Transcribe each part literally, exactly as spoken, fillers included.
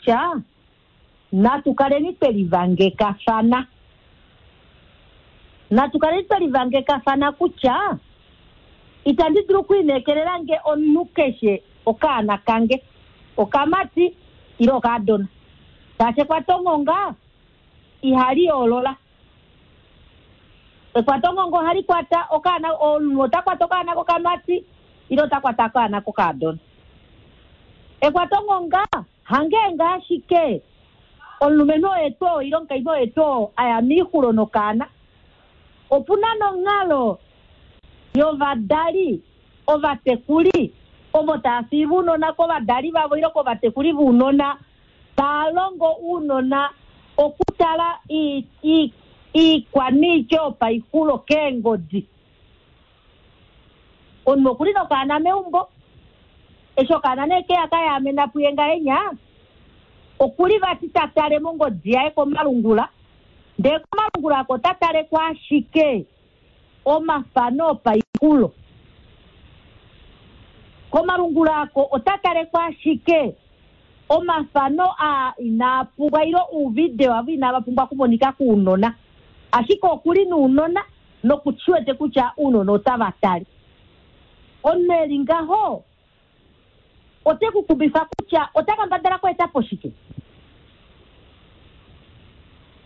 kutya natu kaleni twe livangekafana. Natu kaleni twe livangekafana kutya itandi dulu okulineekelela nge omunhu keshe okaana kange, okamati ile okaadona. Shaashi ekwatongonga ihali yoolola. Ekwatongonga ohali kwata okaana, omunhu ota kwata okaana kokamati ile ota kwata okaana kokaadona. Ekwatongonga hangeenge ashike omulumenhu oye tuu ile omukainhu oye tuu a ya moixulo nokaana. Opu na nonghalo yovadali ovatekuli ovo tava fiiva ounona kovadali vavo ile kovatekuli vounona tava longo ounona okutala iikwaniitya yopaixulo keengodi. Omunhu okuli nokaana meumbo, eshi okaana nee keya kayaamena puye ngahenya, okuli vati ta tale mongodi yaye komalungula, ndee komalungula ako ota tale ko ashike omafano opaixulo. Komalungula ako ota tale ko ashike omafano aa inaa pumbwa ile uuvideo avo inava pumbwa okumonika kuunona, ashike okuli nounona nokushiwete kutya ounona otava tale. Omunhu eli ngaho ote ku kubifa kutya ota kambadala okweeta po shike.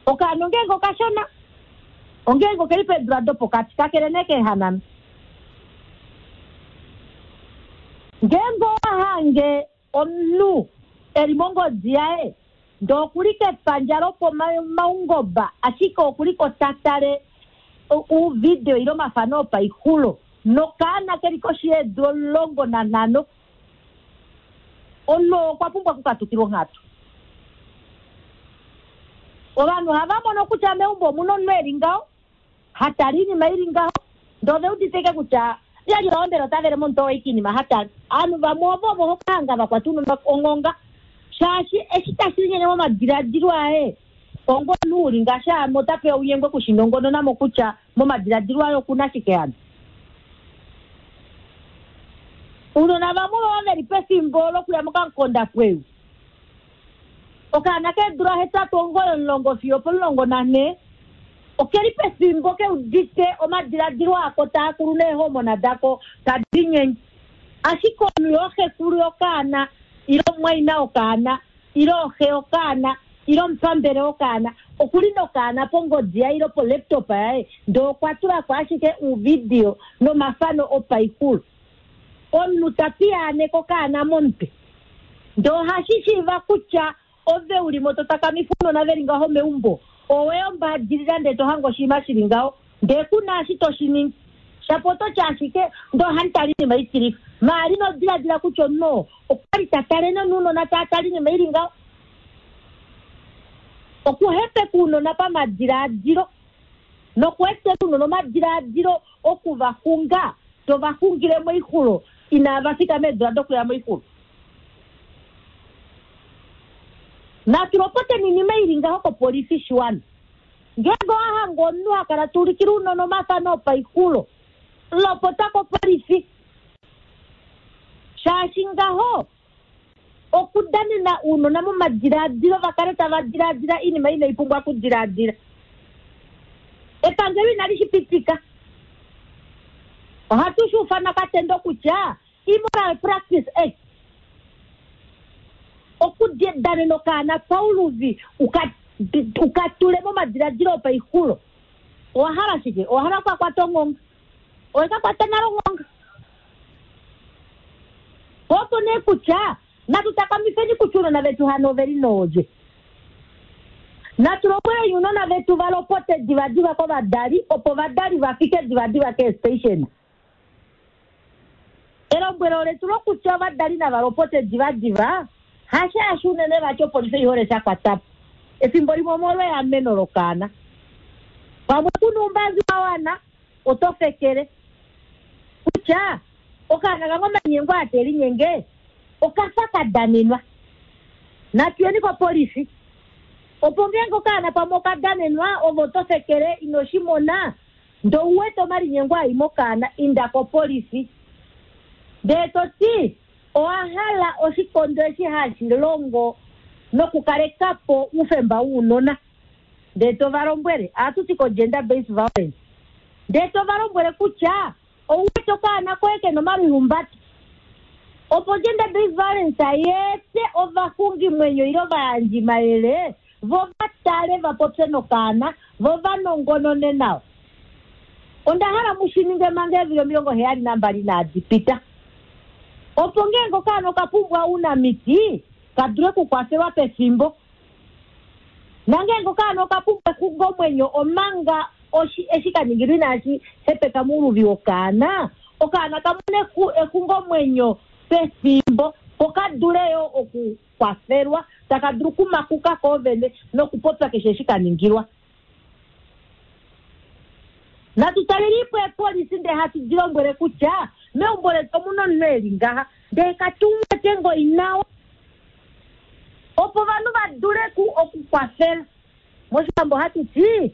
Okaana ongeenge okashona, ongeenge okeli peedula dopokati, kakele nee keehanana. Ngeenge owa hange omunhu eli mongodi yaye, ndee okuli kepandja lopomaungoba, ashike okuli ko ta tale uuvideo ile omafano opaixulo nokaana keli koshi yeedula omulongo nanhano, omunhu okwa pumbwa okukatukilwa onghatu. Ovanhu ohava mono kutya meumbo omuna omunhu eli ngaho, ha tale oinima ili ngaho, ndee ove udite kutya lyali mbela ota vele momutwe waye oinima ha tale. Ovanhu vamwe ovo ovo hokahanga va kwata ounona onghonga, shaashi eshi tashi linyenge momadiladilo aye, onga omunhu uli ngaashi ame ota pewa ounyengwe okushinongonona mo kutya momadiladilo aye okuna shike hano. Ounona vamwe ovo veli pefimbo lokuya mokamukondapweyu, okaana keedula hetatu, omugoyi, omulongo fiyo opomulongo nanhee, okeli pefimbo keudite omadiladilo ako taa kulu neehomona dako tadi linyenge. Ashike omunhu yoxekulu yokaana ile omumwaina wokaana ile oxe yokaana ile omupambele wokaana okuli nokaana pongodi yaye ile polaptop yaye, ndee okwa tulako ashike uuvidio nomafano opaixulo. Omunhu ta piyaaneke okaana momutwe, ndee ohashi shiiva kutya ove uli mo to takamifa ounona veli ngaho meumbo, owe ombaadilila ndee to hange oshinima shili ngaho, ndee kuna eshi to shi ningi. Shapo oto tya ashike ndee ohandi tale oinima itilifa, maali nodiladila kutya omunhu okwali ta tale nounona taa tale oinima ili ngaho. Okuhepeka ounona pamadiladilo nokuetela ounona omadiladilo oku va xunga, to va xungile moixulo inava fika meedula dokuya moixulo. Natu lopoteni oinima ili ngaho kopolifi shiwana. Ngeenge owa hanga omunhu ha kala ta ulikile ounona omafano opaixulo, lopota kopolifi. Shaashi ngaho okudanena ounona momadiladilo va kale tava diladila oinima inai pumbwa okudiladila. Epangelo inali shi pitika. Ohatu shi ufana katendo kutya Immoral Practice Act, okudanena okaana pauluvi uka tule momadiladilo opaixulo. Owa hala shike? Owa hala okukakwata onghonga? Owe ka kwata nale onghonga? Opo nee kutya natu takamifeni kutya ounona vetu hano oveli noolye. Natu lombweleni ounona vetu va lopote divadiva kovadali, opo ovadali va fike divadiva keestation. Elombwelo letu lokutya ovadali nava lopote divadiva, hashaashi unene vati opolifi oi hole sha kwata po. Efimbo limwe omolwa eameno lokaana. Pamwe kuna oumbangi wa wana, oto fekele kutya okaana kange omanyengo aa te linyenge okafa ka danenwa. Natu yeni kopolifi opo ngeenge okaana pamwe oka danenwa, ove oto fekele ino shi mona, ndee ou wete omalinyengo ai mokaana, inda kopolifi. Ndee to ti owa hala oshikondo eshi hashi longo Nokukaleka po oufemba wounona. Ndee to va lombwele, ohatu ti ko-gender based violence. Ndee to va lombwele kutya ou wete okaana koye ke na omalihumbato. Opo gender based violence yeete ovaxungimwenyo ile ovayandjimayele vo va tale va popye nokaana vo va nongonone nawa. Onda hala mu shi ninge manga eevili omilongo heyali nambali inadi pita. Opo ngeenge okaana oka pumbwa ounamiti ka dule okukwafelwa pefimbo. Nangeenge okaana oka pumbwa exungomwenyo omanga oshi eshi ka ningilwa inashi hepeka mouluvi wokaana, okaana ka mone exungomwenyo pefimbo ko ka dule yo okukwafelwa taka dulu okumakuka koovene nokupopya keshe eshi ka ningilwa. Natu talelipo eepolisi ndee hatu di lombwele kutya meumbo letu omuna omunhu e li ngaha ndee katu mu wete ngoo nawa opo ovanhu va dule okukwafela. Moshiwambo ohatu ti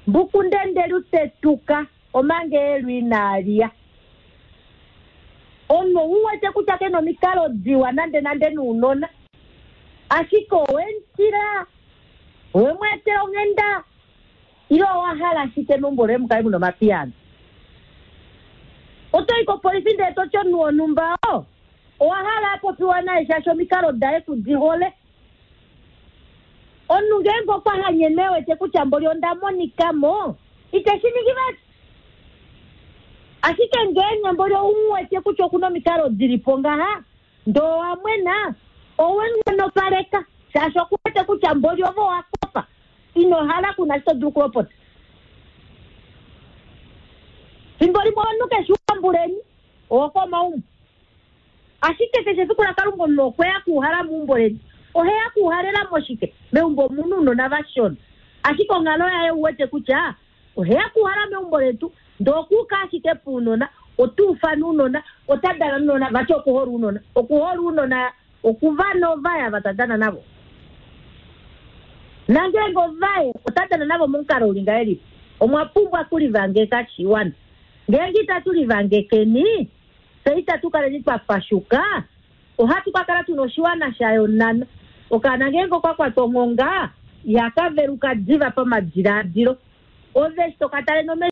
mbukundende lutetuka omanga eelu inali ya. Omunhu ou wete kutya ke na omikalo diwa nande nande nounona, ashike owe mu tila, owe mu etela onghenda ile owa hala ashike meumbo loye mu kale mu na omapiyaano. Oto i kopolifi ndele to ti omunhu wonhumba oo owa hala a popiwa naye shaashi omikalo daye ku di hole. Omunhu ngeenge okwa hanyene e wete kutya mboli onda monika mo, ite shi ningi vali. Ashike ngeenge mboli ou mu wete kutya oku na omikalo di li po ngaha, ndee owa mwena, owe mu nghonopaleka shaashi oku wete kutya mboli ove owa kofa, ino hala ku na eshi to dulu okulopota. Fimbo limwe omunhu keshe uambuleni owokomaumbo, ashike keshe efiku laKalunga omunhu okwe ya kuuhala meumbo leni. Oheya kuuhalela moshike? Meumbo omuna ounona vashona, ashike onghalo yaye uwete kutya oheya kuuhala meumbo letu ndee okuuka ashike pounona, ota ufana ounona, ota dana nounona, vati okuhola ounona. Okuhola ounona okuva novaya ava ta dana navo. Nangeenge ovaye ota dana navo momukalo uli ngahelipi? Omwa pumbwa okulivangeka shiwana. Ngeenge itatu livangekeni, fye itatu kaleni twa pashuka, ohatu ka kala tuna oshiwana sha yonana. Okaana ngeenge okwa kwatwa onghonga, ihaka veluka diva pamadilaadilo. Ove eshi toka tale nomesho